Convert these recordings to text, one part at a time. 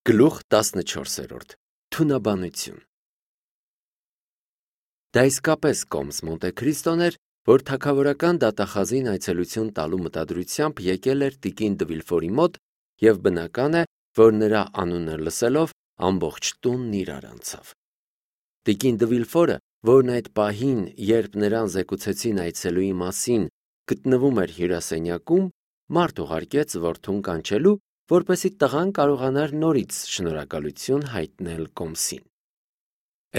Գլուխ 14. Թունաբանություն։ Դա իսկապես կոմս Մոնտե Քրիստոն էր, որ թագավորական դատախազին այցելություն տալու մտադրությամբ եկել էր տիկին Դվիլֆորի մոտ, և բնական է, որ նրա անունը լսելով ամբողջ տունն իրար անցավ։ Տիկին Դվիլֆորը, որն այդ պահին, երբ նրան զեկուցեցին այցելուի մասին, գտնվում էր հյուրասենյակում, մարդ ուղարկեց որդուն կանչելու, որպեսզի տղան կարողանար նորից շնորհակալություն հայտնել կոմսին։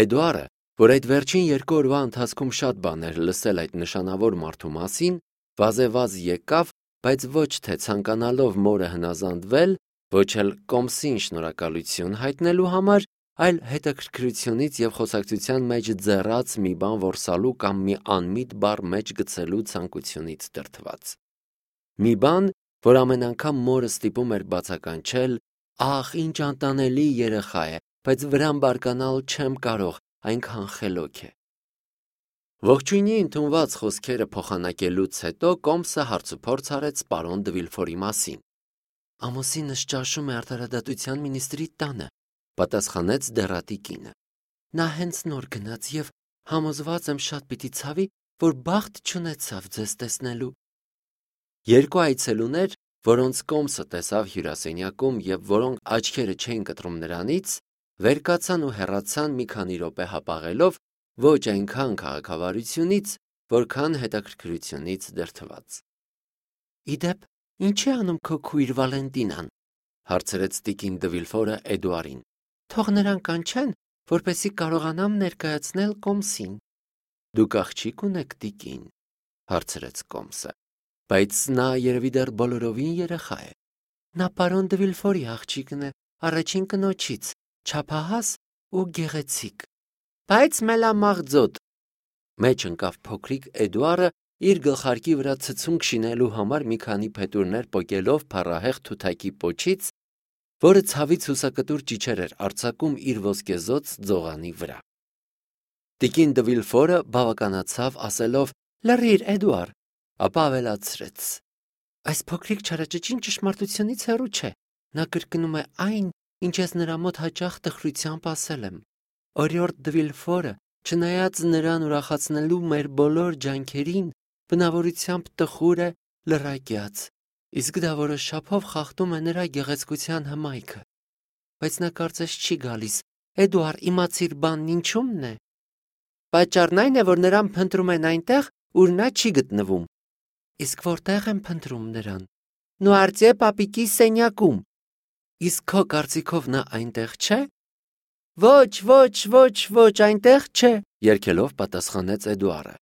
Էդուարը, որ այդ վերջին 2 օրվա ընթացքում շատ բաներ լսել այդ նշանավոր մարդու մասին, վազեվազ եկավ, բայց ոչ թե ցանկանալով մորը հնազանդվել, ոչ էլ կոմսին շնորհակալություն հայտնելու համար, այլ հետաքրքրությունից և խոսակցության մեջ ձեռած մի բան որսալու կամ մի անմիտ բառ մեջ գցելու ցանկությունից դրդված։ Մի բան, որ ամեն անգամ մորը ստիպում էր բացականչել. «Ախ, ինչ անտանելի երեխա է, բայց վրան բարկանալ չեմ կարող, այնքան խելոք է»։ Ողջույնի ընդունված խոսքերը փոխանակելուց հետո կոմսը հարցուփորձ արեց պարոն Դվիլֆորի մասին։ «Ամուսինս ճաշում է արդարադատության մինիստրի տանը», պատասխանեց դեռատի կինը։ «Նա հենց նոր գնաց և համոզված եմ շատ պիտի ցավի, որ բախտ չունեցավ ձեզ տեսնելու»։ Երկու այցելուներ, որոնց կոմսը տեսավ հյուրասենյակում և որոնք աչքերը չէին կտրում նրանից, վեր կացան ու հեռացան մի քանի րոպե հապաղելով, ոչ այնքան քաղաքավարությունից, որքան հետաքրքրությունից դրդված։ «Իդեպ, ինչ է անում քո քույր Վալենտինան», հարցրեց տիկին Դվիլֆորը Էդուարին։ «Թող նրան կանչեն, որպեսզի կարողանամ ներկայացնել կոմսին»։ «Դուք աղջիկ ունեք, տիկին», հարցրեց կոմսը։ «Բայց նա երևի դեռ բոլորովին երեխա է»։ «Նա պարոն Դվիլֆորի աղջիկն է, առաջին կնոջից, չափահաս ու գեղեցիկ»։ «Բայց մելամաղձոտ», մեջ ընկավ փոքրիկ Էդուարը, իր գլխարկի վրա ցցունք շինելու համար մի քանի փետուրներ պոկելով փառահեղ թութակի պոչից, որը ցավից հուսակտուր ճիչեր էր արձակում իր ոսկեզօծ ձողանի վրա։ Տիկին Դվիլֆորը բավականացավ ասելով. «Լռիր, Էդուար», ապա ավելացրեց. «Այս փոքրիկ չարաճճին ճշմարտությունից հեռու չէ, նա կրկնում է այն, ինչ ես նրա մոտ հաճախ տխրությամբ ասել եմ։ Օրիորդ Դվիլֆորը, չնայած նրան ուրախացնելու մեր բոլոր ջանքերին, բնավորությամբ տխուր է, լռակյաց, իսկ դա որոշ չափով խախտում է նրա գեղեցկության հմայքը։ Բայց նա կարծես չի գալիս։ Էդուար, իմացիր բանն ինչումն է։ Պատճառն այն է, որ նրան փնտրում են այնտեղ, ուր նա չի գտնվում։ Իսկ որտեղ են փնտրում նրան։ Նուարտյե պապիկի սենյակում։ Իսկ քո կարծիքով նա այնտեղ չէ։ Ոչ, այնտեղ չէ, երգելով պատասխանեց Էդուարը։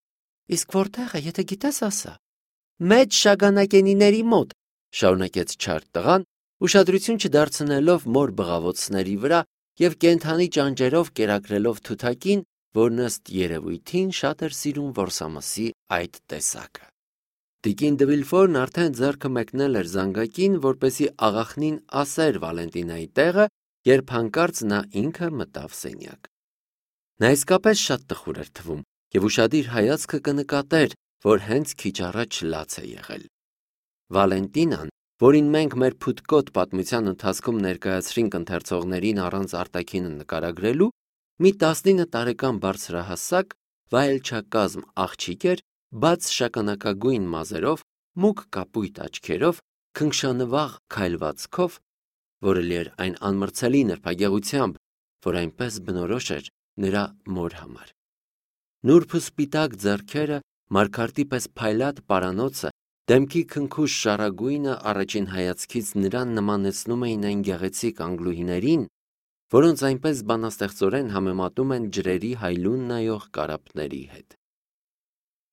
Իսկ որտեղ է, եթե գիտես, ասա։ Մեծ շագանակենիների մոտ, շարունակեց չար տղան, ուշադրություն չդարձնելով մոր բղավոցների վրա և կենդանի ճանճերով կերակրելով թութակին, որն ըստ երևույթին շատ էր սիրում որսամսի այդ տեսակը։ Տիկին Դվիլֆորն արդեն ձեռքը մեկնել էր զանգակին, որպեսզի աղախնին ասեր Վալենտինայի տեղը, երբ հանկարծ նա ինքը մտավ սենյակ։ Նա իսկապես շատ տխուր էր թվում և ուշադիր հայացքը կնկատեր, որ հենց քիչ առաջ լաց է եղել։ Վալենտինան, որին մենք մեր փութկոտ պատմության ընթացքում ներկայացրինք ընթերցողներին առանց արտաքինը նկարագրելու, մի 19 տարեկան բարձրահասակ, վայելչակազմ աղջիկ էր, բաց շագանակագույն մազերով, մուգ կապույտ աչքերով, քնքշանվաղ քայլվածքով, որը լի էր այն անմրցելի նրբագեղությամբ, որ այնպես բնորոշ էր նրա մոր համար։ Նուրբ ու սպիտակ ձեռքերը, մարգարտի պես փայլատ պարանոցը, դեմքի քնքուշ շառագույնը առաջին հայացքից նրան նմանեցնում էին այն գեղեցիկ անգլուհիներին, որոնց այնպես բանաստեղծորեն համեմատում են ջրերի հայլուն նայող կարապների հետ։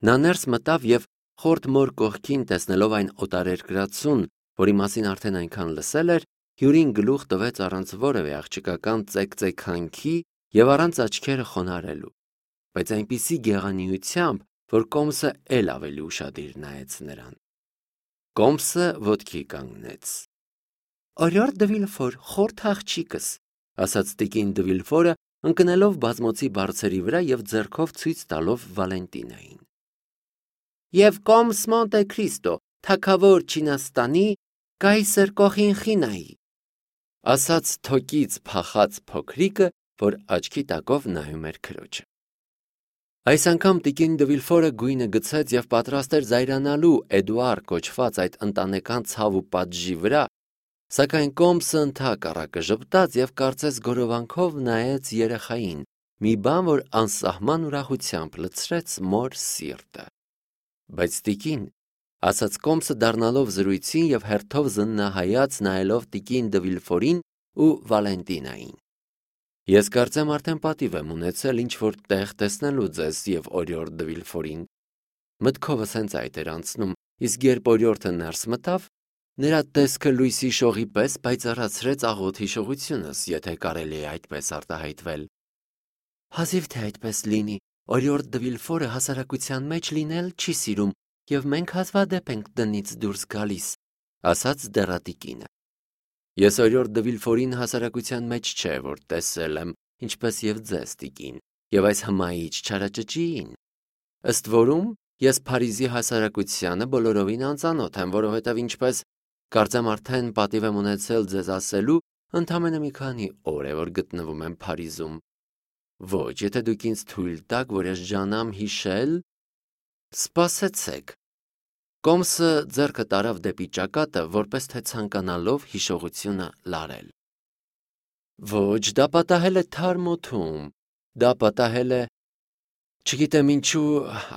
Նա ներս մտավ և խորտ մոր կողքին տեսնելով այն օտարերկրացուն, որի մասին արդեն այնքան լսել էր, հյուրին գլուխ տվեց առանց որևէ աղջկական ծեքծեքանքի և առանց աչքերը խոնարհելու, բայց այնպիսի գեղանիությամբ, որ կոմսը էլ ավելի ուշադիր նայեց նրան։ Կոմսը ոտքի կանգնեց։ «Օրիորդ Դվիլֆոր, խորթ աղջիկս», ասաց տիկին Դվիլֆորը, ընկնելով բազմոցի բարձերի վրա և ձեռքով ցույց տալով Վալենտինային։ «Եվ կոմս Մոնտե Քրիստո, թագավոր Չինաստանի, կայսր Կոխինխինայի»։ ասաց թոկից փախած փոքրիկը, որ աչքի տակով նայում էր քրոջը։ Այս անգամ տիկին դե Վիլֆորը գույնը գցեց եւ պատրաստ էր զայրանալու Էդուար կոչված այդ ընտանեկան ցավ ու պատժի վրա, սակայն Կոմսը ընդհակառակը ժպտաց եւ կարծես գորովանքով նայեց երեխային, մի բան, որ անսահման ուրախությամբ լցրեց մոր սիրտը։ Բայց տիկին, ասաց Կոմսը դառնալով զրույցին եւ հերթով զննահայաց նայելով տիկին դե Վիլֆորին ու Վալենտինային։ Ես կարծեմ արդեն պատիվ եմ ունեցել ինչ-որ տեղ տեսնելու ձեզ եւ օրիորդ դե Վիլֆորին։ Մտքովս հենց այդ էր անցնում, իսկ երբ օրիորդը ներս մտավ, նրա տեսքը լույսի շողի պես պայծառացրեց աղոտ հիշողությունս, եթե կարելի է այդպես արտահայտվել։ Հազիվ թե այդպես լինի, օրիորդ դե Վիլֆորը հասարակության մեջ լինել չի սիրում եւ մենք հազվադեպ ենք տնից դուրս գալիս, ասաց դեռատիկինը։ Ես օրիորդ դե Վիլֆորին հասարակության մեջ չէ, որ տեսել եմ, ինչպես եւ ձեզ տիկին, եւ այս հմայիչ չարաճճիին։ Ըստ որում, ես Փարիզի հասարակությանը բոլորովին անծանոթ եմ, որովհետեւ ինչպես կարծեմ արդեն պատիվ եմ ունեցել ձեզ ասելու, ընդամենը մի քանի օր է, որ գտնվում եմ Փարիզում։ Ոչ, եթե դուք ինձ թույլ տաք, որ ես ջանամ հիշել, սպասեցեք։ Կոմսը ձեռքը տարավ դեպի ճակատը, որպես թե ցանկանալով հիշողությունը լարել։ Ոչ, դա պատահել է Թարմոթում, դա պատահել է, չգիտեմ ինչու,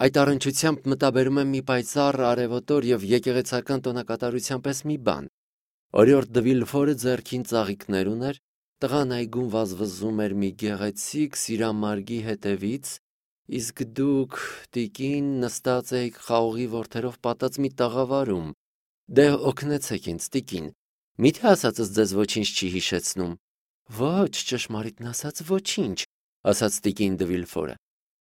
այդ առնչությամբ մտաբերում եմ մի պայծառ արևոտոր եւ եկեղեցական տոնակատարության պես մի բան։ Օրիորդ դե Վիլֆորը ձեռքին ծաղիկներ ուներ, տղան այգում վազվզում էր մի գեղեցիկ սիրամարգի հետևից, իսկ դուք, տիկին, նստած եք խաղողի ворթերով պատած մի տաղավարում։ Դե օգնեցեք ինձ, տիկին, միթե ասածս ձեզ ոչինչ չի հիշեցնում։ Ոչ, ճշմարիտն ասած ոչինչ, ասաց տիկին դե Վիլֆորը։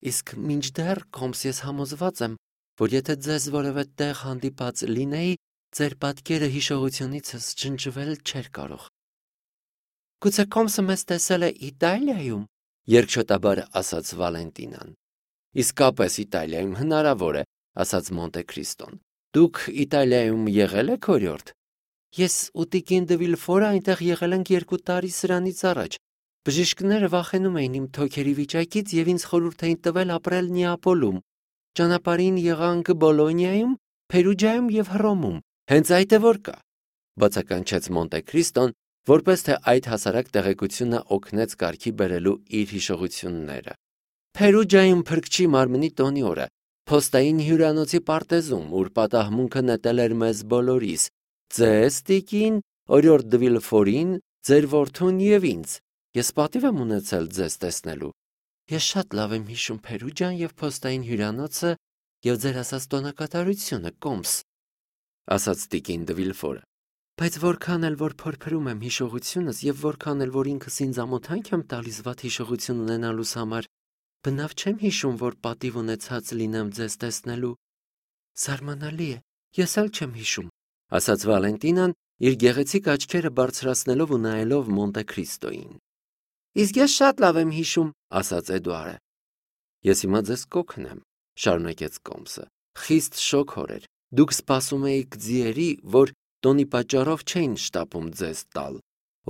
Իսկ մինչդեռ, Կոմս, ես համոզված եմ, որ եթե ձեզ որևէ տեղ հանդիպած լինեի, ձեր պատկերը հիշողությունիցս ջնջվել չէր կարող։ Գուցե Կոմսը մեզ տեսել է Իտալիայում, երկչոտաբար ասաց Վալենտինան։ Իսկապես Իտալիայում հնարավոր է, ասաց Մոնտե Քրիստոն։ Դուք Իտալիայում եղել եք, օրիորդ։ Ես ու տիկին դե Վիլֆորը այնտեղ եղել ենք 2 տարի սրանից առաջ։ Բժիշկները վախենում էին իմ թոքերի վիճակից եւ ինձ խորհուրդ էին տվել ապրել Նեապոլում։ Ճանապարհին եղանք Բոլոնիայում, Փերուջայում եւ Հռոմում։ Հենց այդ է որ կա, բացականչեց Մոնտե Քրիստոն, որպես թե այդ հասարակ տեղեկությունը օգնեց կարգի բերելու իր հիշողությունները։ Փերուջայում Փրկչի մարմնի տոնի օրը, փոստային հյուրանոցի պարտեզում, ուր պատահմունքը նետել էր մեզ բոլորիս, ձեզ, տիկին, օրիորդ դե Վիլֆորին, ձեր որդուն եւ ինձ։ Ես պատիվ եմ ունեցել ձեզ տեսնելու։ Ես շատ լավ եմ հիշում Փերուջան եւ փոստային հյուրանոցը եւ ձեր ասած տոնակատարությունը, Կոմս, ասաց տիկին դե Վիլֆորը։ Բայց որքան էլ որ փորփրում եմ հիշողությունս եւ որքան էլ որ ինքս ինձ ամոթանք եմ տալիս վատ հիշողություն ունենալուս համար, բնավ չեմ հիշում, որ պատիվ ունեցած լինեմ ձեզ տեսնելու։ Զարմանալի է, ես էլ չեմ հիշում, ասաց Վալենտինան, իր գեղեցիկ աչքերը բարձրացնելով ու նայելով Մոնտե Քրիստոին։ Իսկ ես շատ լավ եմ հիշում, ասաց Էդուարը։ Ես հիմա ձեզ կօգնեմ, շարունակեց Կոմսը։ Խիստ շոգոր էր։ Դուք սպասում էիք ձիերի, որ տոնի պատճառով չէին շտապում ձեզ տալ։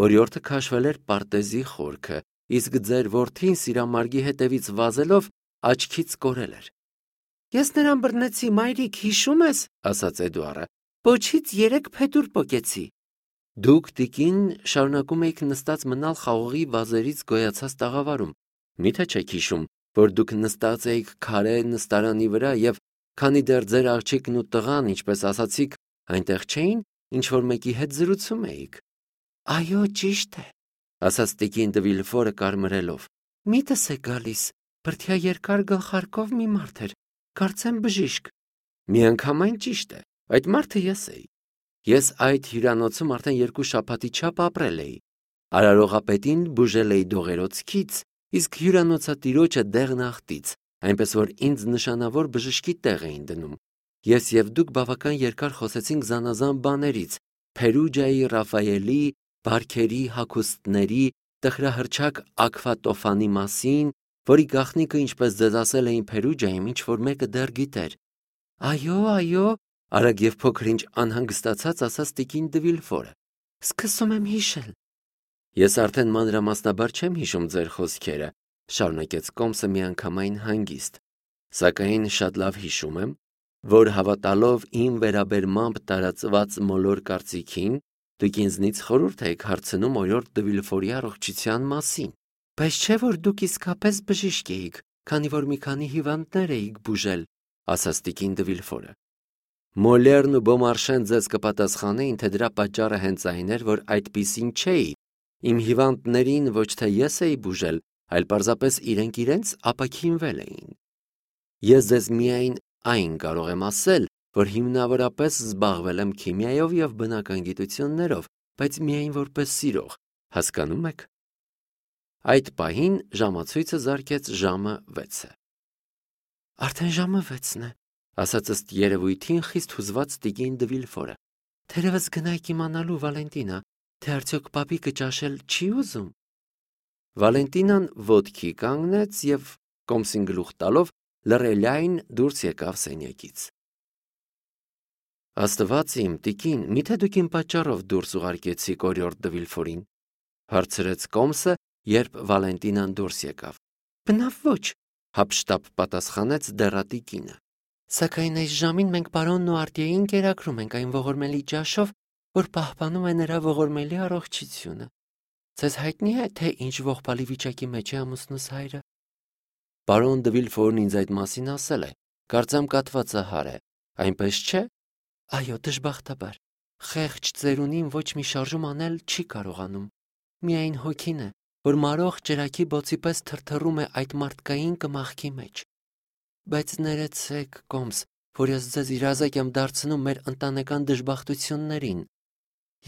Օրիորդը քաշվել էր պարտեզի խորքը, իսկ ձեր որդին սիրամարգի հետևից վազելով աչքից կորել էր։ Ես նրան բռնեցի, մայրիկ, հիշում ես, ասաց Էդուարը։ Պոչից 3 փետուր պոկեցի։ Դուք, տիկին, շարունակում եք նստած մնալ խաղողի վազերից գոյացած տաղավարում։ Միթե չեք հիշում, որ դուք նստած էիք քարե նստարանի վրա եւ քանի դեռ ձեր աղջիկն ու տղան, ինչպես ասացիք, այնտեղ չէին, ինչ որ մեկի հետ զրուցում էիք։ Այո, ճիշտ է, ասաց տիկին դե Վիլֆորը կարմրելով։ Միտս է գալիս, բրդյա երկար գլխարկով մի մարդ էր, կարծեմ բժիշկ։ Միանգամայն ճիշտ է, այդ մարդը ես էի։ Ես այդ հյուրանոցում արդեն 2 շաբաթի չափ ապրել էի։ Արարողապետին բուժել էի դողերոցքից, իսկ հյուրանոցատիրոջը դեղնախտից, այնպես որ ինձ նշանավոր բժշկի տեղ էին դնում։ Ես եւ դուք բավական երկար խոսեցինք զանազան բաներից, Փերուջայի, Ռաֆայելի, բարքերի, հագուստների, տխրահռչակ Աքվատոֆանի մասին, որի գաղտնիքը, ինչպես ձեզ ասել էին Փերուջայում, ինչ որ մեկը դեռ գիտեր։ Այո, արագ եւ փոքր ինչ անհանգստացած ասաց տիկին դե Վիլֆորը։ Սկսում եմ հիշել։ Ես արդեն մանրամասնաբար չեմ հիշում ձեր խոսքերը, շարունակեց Կոմսը միանգամայն հանգիստ, սակայն շատ լավ հիշում եմ, որ հավատալով իմ վերաբերմամբ տարածված մոլոր կարծիքին, դուք ինձնից խորհուրդ եք հարցնում օրիորդ դը Վիլֆորի առողջության մասին, բայց չէ որ դուք իսկապես բժիշկ էիք, քանի որ մի քանի հիվանդներ էիք բուժել, ասաց տիկին դը Վիլֆորը։ Մոլերն ու Բոմարշեն ձեզ կպատասխանեին, թե դրա պատճառը հենց այն էր, որ այդպիսին չէի, իմ հիվանդներին ոչ թե ես էի բուժել, այլ պարզապես իրենց ապաքինվել էին։ Ես ձեզ միայն այն կարող եմ ասել, որ հիմնավորապես զբաղվել եմ քիմիայով եւ բնական գիտություններով, բայց միայն որպես սիրող, հասկանում եք։ Այդ պահին ժամացույցը զարկեց ժամը 6-ը։ Արդեն ժամը 6-ն է, ասաց ըստ երևույթին խիստ հուզված տիկին դը Վիլֆորը։ Թերևս գնայք իմանալու, Վալենտինա, թե արդյոք պապիկը ճաշել չի ուզում։ Վալենտինան ոտքի կանգնեց եւ Կոմսին գլուխ տալով լռելյայն դուրս եկավ սենյակից։ Աստված իմ, տիկին, միթե դուք իմ պատճառով դուրս ուղարկեցիք օրիորդ դը Վիլֆորին, հարցրեց Կոմսը, երբ Վալենտինան դուրս եկավ։ Բնավ ոչ, հապշտապ պատասխանեց դեռատիկինը։ Սակայն այս ժամին մենք պարոնն ու Արտիեին կերակրում ենք այն ողորմելի ճաշով, որ պահպանում է նրա ողորմելի առողջությունը։ Ձեզ հայտնի է, թե ինչ ողբալի վիճակի մեջ է ամուսնուս հայրը։ Պարոն դը Վիլֆորն ինձ այդ մասին ասել է, կարծեմ կատվածը հար է, այնպես չէ։ Այո, դժբախտաբար, խեղճ ծերունին ոչ մի շարժում անել չի կարողանում։ Միայն հոգին է, որ մարող ճրագի բոցի պես թրթռում է այդ մարդկային կմախքի մեջ։ Բայց ներեցեք, Կոմս, որ ես ձեզ իրազեկ եմ դարձնում մեր ընտանեկան դժբախտություններին։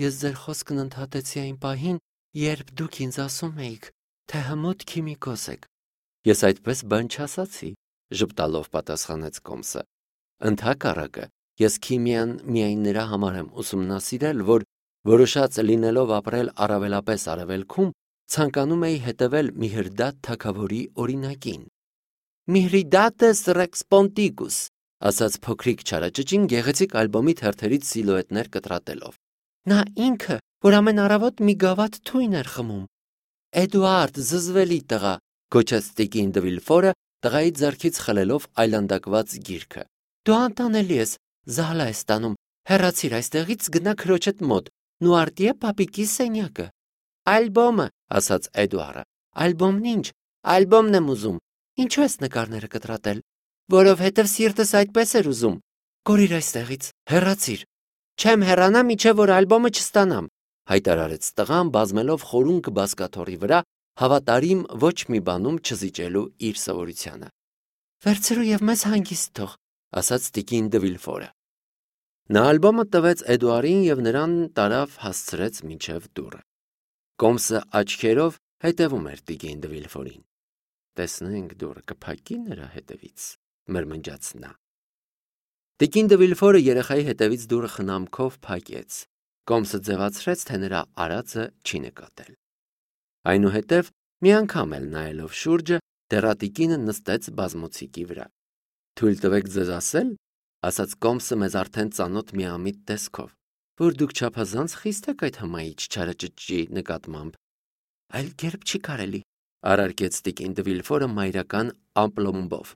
Ես ձեր խոսքն ընդհատեցի այն պահին, երբ դուք ինձ ասում էիք, թե հմուտ քիմիկոս եք։ Ես այդպես բան չասացի, ժպտալով պատասխանեց Կոմսը։ Ընդհակառակը, ես քիմիան միայն նրա համար եմ ուսումնասիրել, որ որոշած լինելով ապրել առավելապես արևելքում, ցանկանում էի հետևել Միհրդատ թագավորի օրինակին։ Միհրիդատես Ռեքս Պոնտիկուս, ասաց փոքրիկ չարաճճին գեղեցիկ ալբոմի թերթերից սիլուետներ կտրատելով։ Նա ինքը, որ ամեն առավոտ մի գավաթ թույն էր խմում։ Էդուարդ, զզվելի տղա, գոչեց տիկին դը Վիլֆորը, տղայի ձեռքից խլելով այլանդակված գիրքը։ Դու անտանելի ես, զահլա ես տանում, հեռացիր այստեղից, գնա քրոջդ մոտ, նու Արտիե պապիկի սենյակը։ Ալբոմը, ասաց Էդուարը։ Ալբոմն ինչ, ալբոմն եմ ուզում։ Ինչու ես նկարները կտրատել։ Որովհետև սիրտս այդպես էր ուզում։ Կորիր այստեղից, հեռացիր։ Չեմ հեռանա, միջև որ ալբոմը չստանամ, հայտարարեց տղան, բազմելով խորունկ բազկաթոռի վրա, հավատարիմ ոչ մի բանում չզիջելու իր սովորությանը։ Վերցրու եւ մեզ հանգիստ թող, ասաց տիկին դը Վիլֆորը։ Նա ալբոմը տվեց Էդուարին եւ նրան տարավ հասցրեց մինչև դուռը։ Կոմսը աչքերով հետևում էր տիկին դը Վիլֆորին։ Տեսնենք դուռը կփակի նրա հետևից, մրմնջաց նա։ Տիկին դը Վիլֆորը երեխայի հետևից դուռը խնամքով փակեց։ Կոմսը ձևացրեց, թե նրա արածը չի նկատել։ Այնուհետև մի անգամ էլ նայելով շուրջը, դեռատիկինը նստեց բազմոցիկի վրա։ Թույլ տվեք ձեզ ասել, ասաց Կոմսը մեզ արդեն ծանոթ միամիտ տեսքով, որ դուք չափազանց խիստ եք այդ հմայիչ չարաճճի նկատմամբ։ Այլ կերպ չի կարելի, արարկեց տիկին դը Վիլֆորը մայրական ամպլոմբով։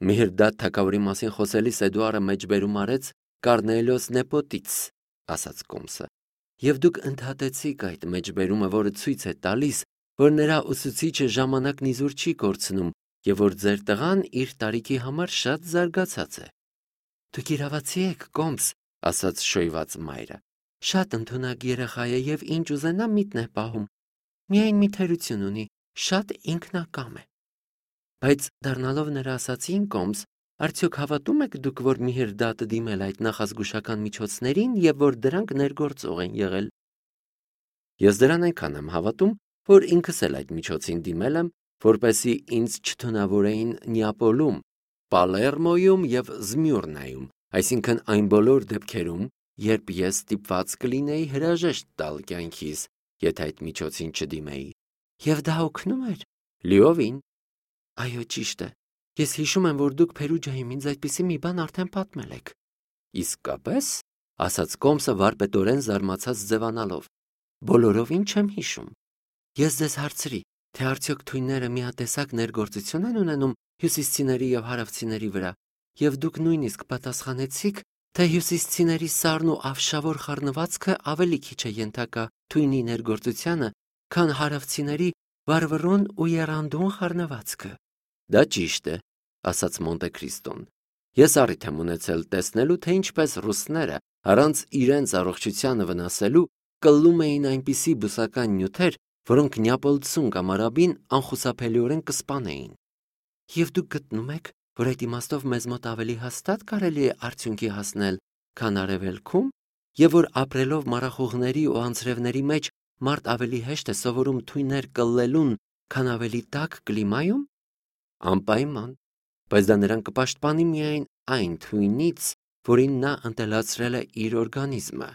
Միհրդատ թագավորի մասին խոսելիս Էդուարը մեջբերում արեց Կառնելիոս Նեպոտից, ասաց Կոմսը, եւ դուք ընդհատեցիք այդ մեջբերումը, որը ցույց է տալիս, որ նրա ուսուցիչը ժամանակն իզուր չի կորցնում եւ որ ձեր տղան իր տարիքի համար շատ զարգացած է։ Դուք իրավացի եք, Կոմս, ասաց շոյված մայրը։ Շատ ընդունակ երեխա է եւ ինչ ուզենա միտն է պահում։ Միայն մի թերություն ունի, շատ ինքնակամ է։ Բայց դառնալով նրա ասացին, Կոմս, արդյոք հավատում եք դուք, որ Միհրդատը դիմել այդ նախազգուշական միջոցներին եւ որ դրանք ներգործող են եղել։ Ես դրան այնքան եմ հավատում, որ ինքս էլ այդ միջոցին դիմել եմ, որպեսզի ինձ չթունավորեին Նեապոլում, Պալերմոյում եւ Զմյուրնայում, այսինքն այն բոլոր դեպքերում, երբ ես ստիպված կլինեի հրաժեշտ տալ կյանքիս, եթե այդ միջոցին չդիմեի։ Եվ դա օգնում էր։ Լիովին։ Այո, ճիշտ է։ Ես հիշում եմ, որ դուք Փերուջայում ինձ այդպիսի մի բան արդեն պատմել եք։ Իսկապես, ասաց Կոմսը վարպետորեն զարմացած ձևանալով։ բոլորովին չեմ հիշում։ Ես ձեզ հարցրի, թե արդյոք թույնները միատեսակ ներգործություն են ունենում հյուսիսցիների եւ հարավցիների վրա, եւ դուք նույնիսկ պատասխանեցիք, թե հյուսիսցիների սառն ու ավշավոր խառնվածքը ավելի քիչ է ենթակա թույնի ներգործությանը, քան հարավցիների վառվռուն ու եռանդուն խառնվածքը։ Դա ճիշտ է, ասաց Մոնտե Քրիստոն։ Ես առիթ եմ ունեցել տեսնելու, թե ինչպես ռուսները առանց իրենց առողջությանը վնասելու կլում էին այնպիսի բուսական նյութեր, որոնք Նեապոլցուն կամ արաբին անխուսափելիորեն կսպանեին։ Եվ դուք գտնում եք, որ այդ իմաստով մեզ մոտ ավելի հաստատ կարելի է արդյունքի հասնել, քան արևելքում, եւ որ ապրելով մառախուղների ու անձրևների մեջ մարդ ավելի հեշտ է սովորում թույներ կլլելուն, քան ավելի տաք կլիմայում։ Անպայման, բայց դա նրան կպաշտպանի միայն այն թույնից, որին նա ընտելացրել է իր օրգանիզմը։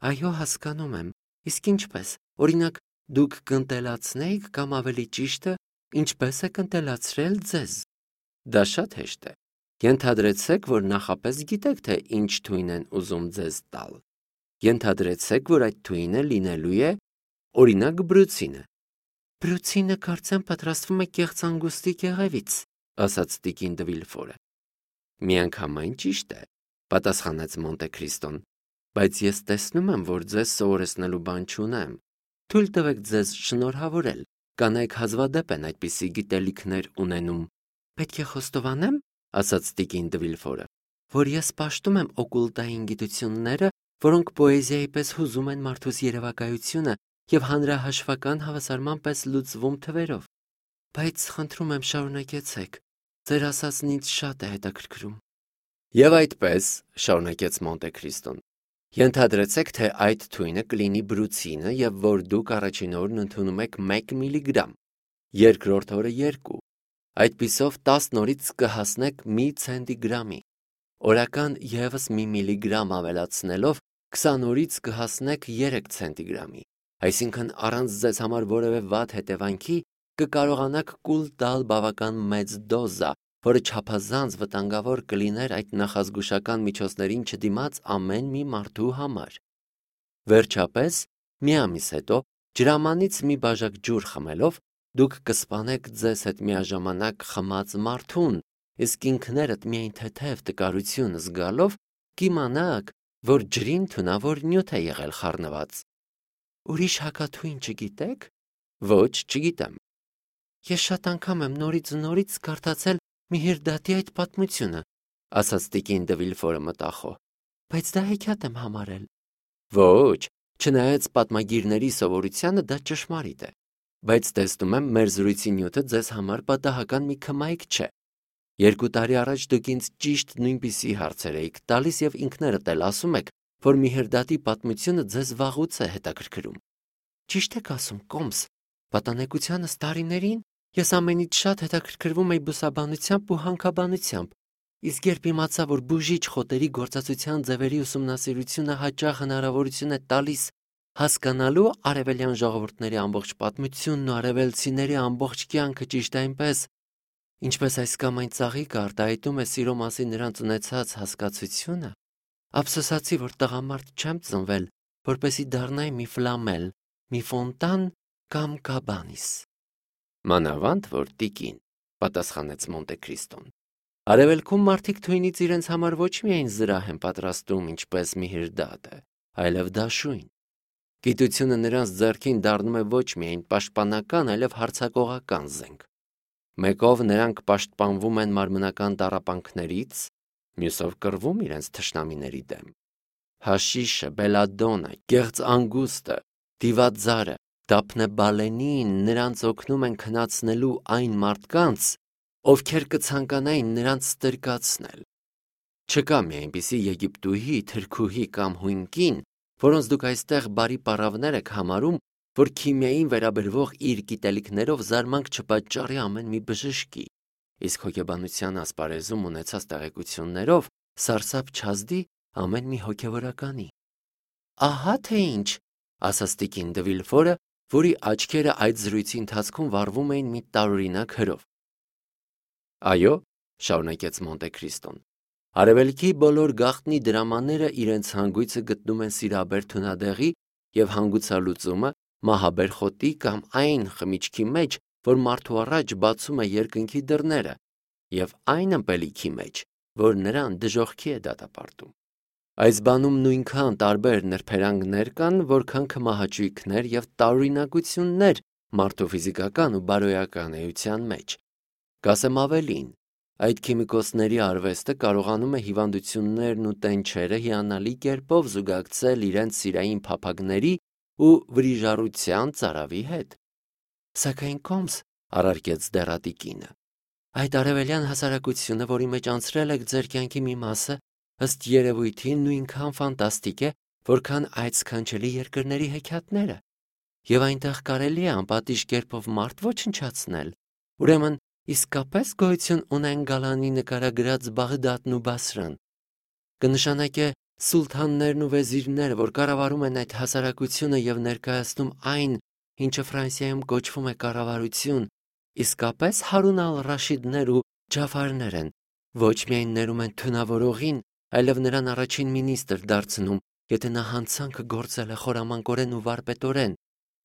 Այո, հասկանում եմ, իսկ ինչպես, օրինակ, դուք կընտելացնեիք կամ ավելի ճիշտը, ինչպես եք ընտելացրել ձեզ։ Դա շատ հեշտ է։ Ենթադրեցեք, որ նախապես գիտեք, թե ինչ թույն են ուզում ձեզ տալ։ Ենթադրեցեք, որ այդ թույնը լինելու է, օրինակ, բրուցինը։ Բրուցինը կարծեմ պատրաստվում է կեղծ անգուստի կեղևից, ասաց տիկին դը Վիլֆորը։ Միանգամայն ճիշտ է, պատասխանեց Մոնտե Քրիստոն, բայց ես տեսնում եմ, որ ձեզ սովորեցնելու բան չունեմ։ Թույլ տվեք ձեզ շնորհավորել, կանայք հազվադեպ են այդպիսի գիտելիքներ ունենում։ Պետք է խոստովանեմ, ասաց տիկին դը Վիլֆորը, որ ես պաշտում եմ օկուլտային գիտությունները, որոնք պոեզիայի պես հուզում են մարդուս երևակայությունը եւ հանրահաշվական հավասարման պես լուծվում թվերով։ Բայց խնդրում եմ շարունակեցեք, ձեր ասածն ինձ շատ է հետաքրքրում։ Եվ այդպես, շարունակեց Մոնտե Քրիստոն, ենթադրեցեք, թե այդ թույնը կլինի բրուցինը եւ որ դուք առաջին օրն ընդունում եք 1 միլիգրամ, երկրորդ օրը 2, այդպիսով 10 օրից կհասնեք 1 ցենտիգրամի, օրական եւս 1 միլիգրամ ավելացնելով 20 օրից կհասնեք 3 ցենտիգրամի, այսինքն առանց ձեզ համար որևէ վատ հետևանքի կկարողանաք կուլ տալ բավական մեծ դոզա, որը չափազանց վտանգավոր կլիներ այդ նախազգուշական միջոցներին չդիմաց ամեն մի մարդու համար։ Վերջապես, մի ամիս հետո, ջրամանից մի բաժակ ջուր խմելով, դուք կսպանեք ձեզ հետ միաժամանակ խմած մարդուն, իսկ ինքներդ միայն թեթև տկարություն զգալով կիմանաք, որ ջրին թունավոր նյութ է եղել խառնված։ Ուրիշ հակաթույն չգիտեք։ Ոչ, չգիտեմ։ Ես շատ անգամ եմ նորից կարդացել Միհիրդատի այդ պատմությունը, ասաց տիկին դը Վիլֆորը մտախոհ, բայց դա հեքիաթ եմ համարել։ Ոչ, չնայած պատմագիրների սովորությանը դա ճշմարիտ է, բայց տեսնում եմ մեր զրույցի նյութը ձեզ համար պատահական մի քմայք չէ։ 2 տարի առաջ դուք ինձ ճիշտ նույնպիսի հարցեր էիք տալիս եւ ինքներդ էլ ասում եք, որ Միհիրդատի պատմությունը ձեզ վաղուց է հետաքրքրում։ Ճիշտ եք ասում, կոմս, պատանեկությանս տարիներին ես ամենից շատ հետաքրքրվում էի բուսաբանությամբ ու հանքաբանությամբ, իսկ երբ իմացա, որ բուժիչ խոտերի գործածության ձևերի ուսումնասիրությունը հաճախ հնարավորություն է տալիս հասկանալու արևելյան ժողովուրդների ամբողջ պատմությունն ու արևելցիների ամբողջ կյանքը ճիշտ այնպես, ինչպես այս կամ այն ծաղիկը արտահայտում է սիրո մասին նրանց ունեցած հասկացությունը, ափսոսացի, որ տղամարդ չեմ ծնվել, որպեսզի դառնայի մի ֆլամել, մի ֆոնտան կամ կաբանիս։ Մանավանդ որ տիկին, պատասխանեց Մոնտե Քրիստոն։ Արևելքում մարդիկ թույնից իրենց համար ոչ միայն զրահ են պատրաստում, ինչպես Միհիրդատը, այլև դաշույն։ Գիտությունը նրանց ձեռքին դառնում է ոչ միայն պաշտպանական, այլև հարձակողական զենք։ Մեկով նրանք պաշտպանվում են մարմնական տառապանքներից, մյուսով կռվում իրենց թշնամիների դեմ։ Հաշիշը, բելադոնը, կեղծ անգուստը, դիվաձարը, դափնեբալենին նրանց օգնում են քնացնելու այն մարդկանց, ովքեր կցանկանային նրանց ստրկացնել։ Չկա մի այնպիսի Եգիպտուհի, թրքուհի կամ հույն, որոնց դուք այստեղ բարի պառավներ եք համարում, որ քիմիային վերաբերվող իր գիտելիքներով զարմանք չպատճառի ամեն մի բժշկի, իսկ հոգեբանության ասպարեզում ունեցած տեղեկություններով սարսափ չազդի ամեն մի հոգևորականի։ Ահա թե ինչ, ասաց տիկին դը Վիլֆորը, որի աչքերը այդ զրույցի ընթացքում վառվում էին մի տարօրինակ հրով։ Այո, շարունակեց Մոնտե Քրիստոն, արևելքի բոլոր գաղտնի դրամաները իրենց հանգույցը գտնում են սիրաբեր թունադեղի եւ հանգուցալուծումը մահաբեր խոտի կամ այն խմիչքի մեջ, որ մարդու առաջ բացում է երկնքի դռները, եւ այն ըմպելիքի մեջ, որ նրան դժոխքի է դատապարտում։ Այս բանում նույնքան տարբեր նրբերանգներ կան, որքան քմահաճույքներ եւ տարօրինակություններ մարդու ֆիզիկական ու բարոյական էության մեջ։ Կասեմ ավելին, այդ քիմիկոսների արվեստը կարողանում է հիվանդություններն ու տենչերը հիանալի կերպով զուգակցել իրենց սիրային փափագների ու վրիժառության ծարավի հետ։ Սակայն կոմս, առարկեց դեռատի կինը, այդ արևելյան հասարակությունը, որի մեջ անցրել եք ձեր կյանքի մի մասը, ըստ երևույթին նույնքան ֆանտաստիկ է, որքան այդ սքանչելի երկրների հեքիաթները, եւ այնտեղ կարելի է անպատիժ կերպով մարդ ոչնչացնել։ Ուրեմն իսկապես գոյություն ունեն Գալանի նկարագրած Բաղդադն ու Բասրան։ Կնշանակե սուլթաններն ու վեզիրները, որ կառավարում են այդ հասարակությունը եւ ներկայացնում այն, ինչը Ֆրանսիայում կոչվում է կառավարություն, իսկապես Հարուն ալ-Ռաշիդներ ու Ջաֆարներ են, ոչ միայն ներում են թունավորողին, այլև նրան առաջին մինիստր դարձնում, եթե նա հանցանքը գործել է խորամանկորեն ու վարպետորեն,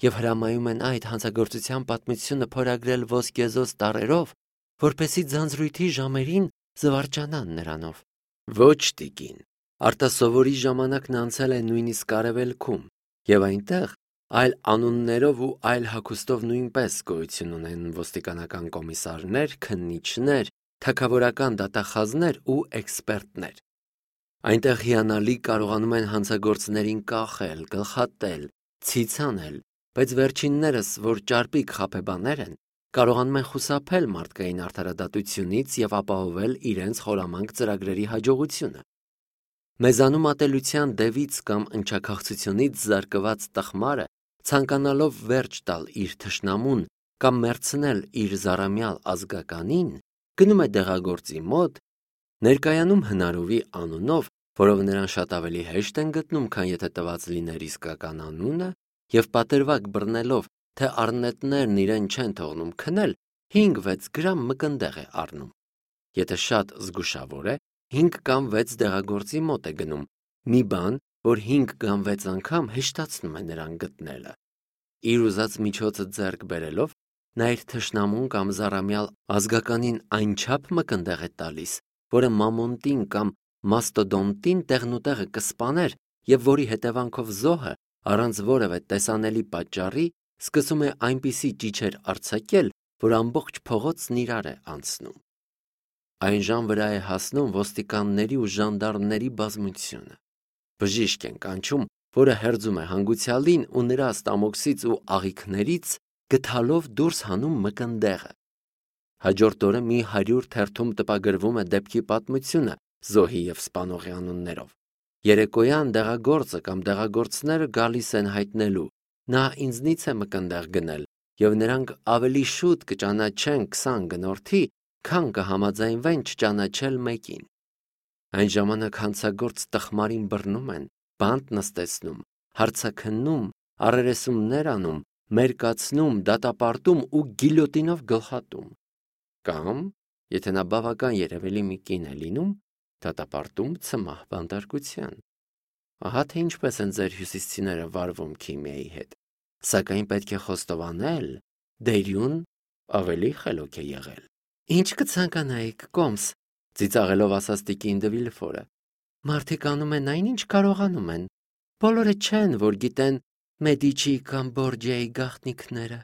եւ հրամայում են այդ հանցագործության պատմությունը փորագրել ոսկեզոծ տառերով, որպեսզի ձանձրույթի ժամերին զվարճանան նրանով։ Ոչ տիկին, արտասովորի ժամանակն անցել է նույնիսկ արևելքում, եւ այնտեղ այլ անուններով ու այլ հագուստով նույնպես գոյություն ունեն ոստիկանական կոմիսարներ, քննիչներ, թագավորական դատախազներ ու էքսպերտներ։ Այնտեղ հիանալի կարողանում են հանցագործներին կախել, գլխատել, ցիցանել, բայց վերջիններս, որ ճարպիկ խաբեբաներ են, կարողանում են խուսափել մարդկային արդարադատությունից եւ ապահովել իրենց խորամանկ ծրագրերի հաջողությունը։ Մեզանում ատելության դևից կամ ընչաքաղցությունից զարկված տխմարը, ցանկանալով վերջ տալ իր թշնամուն կամ մերցնել իր զառամյալ ազգականին, գնում է դեղագործի մոտ, ներկայանում հնարովի անունով, որով նրան շատ ավելի հեշտ են գտնում, քան եթե տված լիներ իսկական անունը, եւ պատրվակ բռնելով, թե առնետներն իրեն չեն թողնում քնել, 5-6 գրամ մկնդեղ է առնում։ Եթե շատ զգուշավոր է, 5 կամ 6 դեղագործի մոտ է գնում, մի բան, որ 5 կամ 6 անգամ հեշտացնում է նրան գտնելը։ Իր ուզած միջոցը ձեռք բերելով, նա իր թշնամուն կամ զառամյալ ազգականին այնչափ մկնդեղ է տալիս, որը մամոնտին կամ մաստոդոնտին տեղնուտեղը կսպաներ եւ որի հետևանքով զոհը, առանց որևէ տեսանելի պատճառի, սկսում է այնպիսի ճիչեր արձակել, որ ամբողջ փողոցն իրար է անցնում։ Այն ժամ վրա է հասնում ոստիկանների ու ժանդարմների բազմությունը։ Բժիշկ են կանչում, որը հերձում է հանգուցյալին ու նրա ստամոքսից ու աղիքներից գթալով դուրս հանում մկնդեղը։ Հաջորդ օրը մի 100 թերթում տպագրվում է դեպքի պատմությունը զոհի եւ սպանողի անուններով։ Երեկոյան դեղագործը կամ դեղագործները գալիս են հայտնելու. նա ինձնից է մկնդեղ գնել եւ նրանք ավելի շուտ կճանաչեն 20 գնորդի, քան կհամաձայնվեն չճանաչել մեկին։ Այն ժամանակ հանցագործ տխմարին բռնում են, բանտ նստեցնում, հարցաքննում, առերեսումներ անում, մերկացնում, դատապարտում ու գիլյոտինով գլխատում։ Կամ, եթե նա բավական երևելի մի կին է լինում, դատապարտում ցմահ բանտարկության։ Ահա թե ինչպես են ձեր հյուսիսցիները վարվում քիմիայի հետ։ Սակայն պետք է խոստովանել, Դերյուն ավելի խելոք է եղել։ Ինչ կցանկանայիք, կոմս, ծիծաղելով ասաց տիկին դե Վիլֆորը։ Մարդիկ անում են այն, ինչ կարողանում են։ Բոլորը չեն, որ գիտեն Մեդիչի կամ Բորջիայի գաղտնիքները։